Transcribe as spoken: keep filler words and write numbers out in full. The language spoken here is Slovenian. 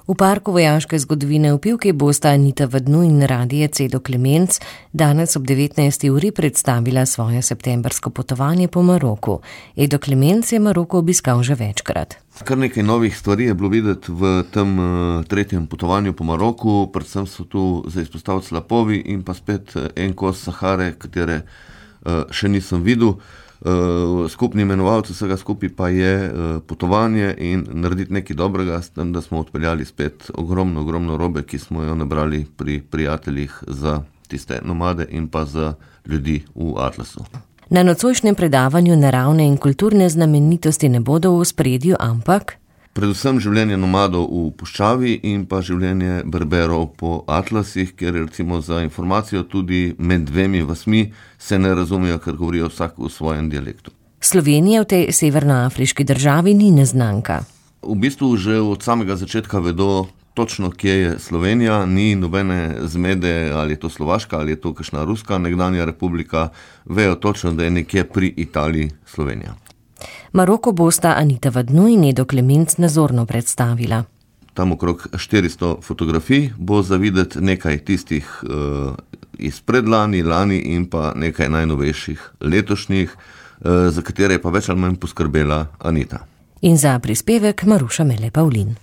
V parku vojaške zgodovine v Pivki bosta Anita Vadnu in Radije Cedo Klemenc danes ob devetnajsti uri predstavila svoje septembrsko potovanje po Maroku. Edo Klemenc je Maroko obiskal že večkrat. Kar nekaj novih stvari je bilo videti v tem uh, tretjem potovanju po Maroku, predvsem so tu za izpostaviti slapovi in pa spet en kos Sahare, katere uh, še nisem videl. Uh, skupni imenovalec vsega skupaj pa je uh, potovanje in narediti nekaj dobrega, s tem, da smo odpeljali spet ogromno, ogromno robe, ki smo jo nabrali pri prijateljih za tiste nomade in pa za ljudi v Atlasu. Na nocojšnjem predavanju naravne in kulturne znamenitosti ne bodo v ospredju, ampak predvsem življenje nomadov v puščavi in pa življenje berberov po atlasih, kjer recimo za informacijo tudi med dvemi vasmi se ne razumejo, ker govorijo vsak v svojem dialektu. Slovenija v tej severnoafriški državi ni neznanka. V bistvu že od samega začetka vedo točno, kje je Slovenija, ni nobene zmede, ali je to Slovaška, ali je to kakšna ruska nekdanja republika, vejo točno, da je nekje pri Italiji Slovenija. Maroko bosta Anita Vadnu in Edo Klemenc nazorno predstavila. Tam okrog štiristo fotografij bo za videti nekaj tistih uh, iz predlani, lani in pa nekaj najnovejših letošnjih, uh, za katere je pa več ali manj poskrbela Anita. In za prispevek Maruša Mele Pavlin.